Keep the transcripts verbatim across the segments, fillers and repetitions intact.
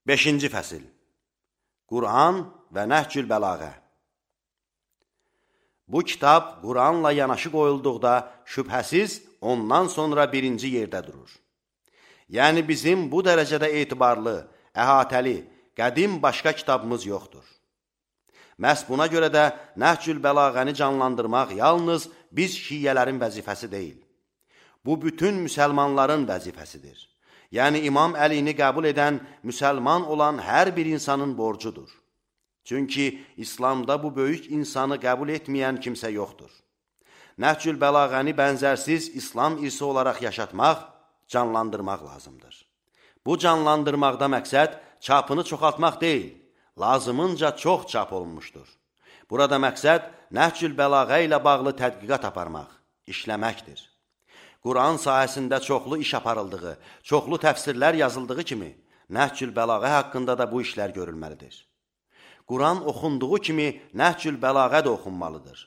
beşinci fəsil Quran və Nəhcül Bəlağə. Bu kitab Quranla yanaşı qoyulduqda şübhəsiz ondan sonra birinci yerdə durur. Yəni bizim bu dərəcədə etibarlı, əhatəli, qədim başqa kitabımız yoxdur. Məhz buna görə də Nəhcül Bəlağəni canlandırmaq yalnız biz şiyyələrin vəzifəsi deyil. Bu bütün müsəlmanların vəzifəsidir. Yəni İmam Əlini qəbul edən, müsəlman olan hər bir insanın borcudur. Çünki İslamda bu böyük insanı qəbul etməyən kimsə yoxdur. Nəhcül Bəlağəni bənzərsiz İslam irsi olaraq yaşatmaq, canlandırmaq lazımdır. Bu canlandırmaqda məqsəd çapını çoxaltmaq deyil, lazımınca çox çap olunmuşdur. Burada məqsəd Nəhcül Bəlağə ilə bağlı tədqiqat aparmaq, işləməkdir. Quran sahəsində çoxlu iş aparıldığı, çoxlu təfsirlər yazıldığı kimi, Nəhcül Bəlağə haqqında da bu işlər görülməlidir. Quran oxunduğu kimi Nəhcül Bəlağə də oxunmalıdır.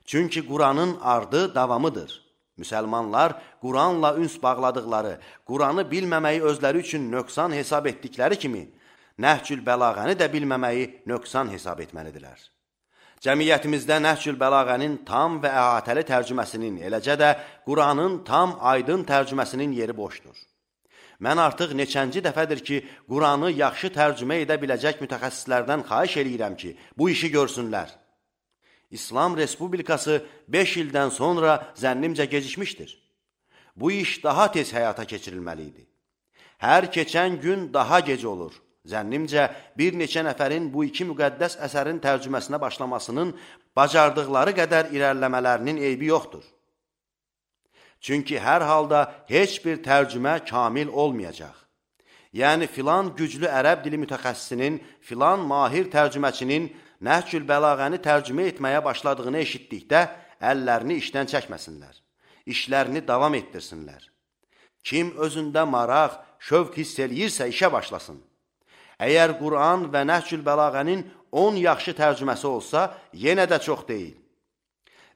Çünki Quranın ardı davamıdır. Müsəlmanlar Quranla üns bağladıqları, Quranı bilməməyi özləri üçün nöqsan hesab etdikləri kimi, Nəhcül Bəlağəni də bilməməyi nöqsan hesab etməlidirlər. Cəmiyyətimizdə Nəhcül Bəlağənin tam və əhatəli tərcüməsinin, eləcə də Quranın tam aydın tərcüməsinin yeri boşdur. Mən artıq neçənci dəfədir ki, Quranı yaxşı tərcümə edə biləcək mütəxəssislərdən xahiş eləyirəm ki, bu işi görsünlər. İslam Respublikası beş ildən sonra zənnimcə gecikmişdir. Bu iş daha tez həyata keçirilməli idi. Hər keçən gün daha gec olur. Zənnimcə, bir neçə nəfərin bu iki müqəddəs əsərin tərcüməsinə başlamasının bacardıqları qədər irəliləmələrinin eybi yoxdur. Çünki hər halda heç bir tərcümə kamil olmayacaq. Yəni, filan güclü ərəb dili mütəxəssisinin, filan mahir tərcüməçinin Nəhcül Bəlağəni tərcümə etməyə başladığını eşitdikdə əllərini işdən çəkməsinlər, işlərini davam etdirsinlər. Kim özündə maraq, şövq hiss eləyirsə işə başlasın. Əgər Quran və Nəhcül Bəlağənin on yaxşı tərcüməsi olsa, yenə də çox deyil.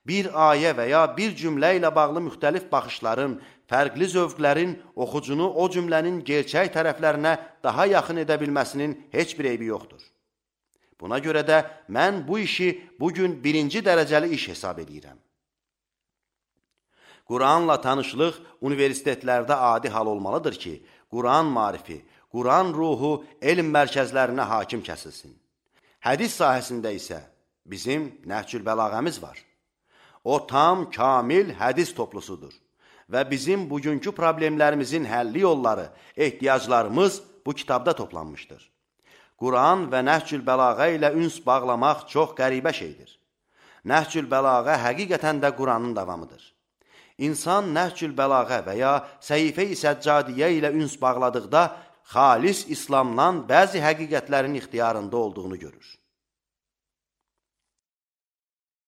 Bir ayə və ya bir cümlə ilə bağlı müxtəlif baxışların, fərqli zövqlərin oxucunu o cümlənin gerçək tərəflərinə daha yaxın edə bilməsinin heç bir eybi yoxdur. Buna görə də mən bu işi bugün birinci dərəcəli iş hesab edirəm. Quranla tanışlıq universitetlərdə adi hal olmalıdır ki, Quran marifi, Quran ruhu elm mərkəzlərinə hakim kəsilsin. Hədis sahəsində isə bizim Nəhcül Bəlağəmiz var. O tam, kamil hədis toplusudur və bizim bugünkü problemlərimizin həlli yolları, ehtiyaclarımız bu kitabda toplanmışdır. Quran və Nəhcül Bəlağə ilə üns bağlamaq çox qəribə şeydir. Nəhcül Bəlağə həqiqətən də Quranın davamıdır. İnsan Nəhcül Bəlağə və ya Səhifə-i Səccadiyyə ilə üns bağladıqda xalis İslamdan bəzi həqiqətlərin ixtiyarında olduğunu görür.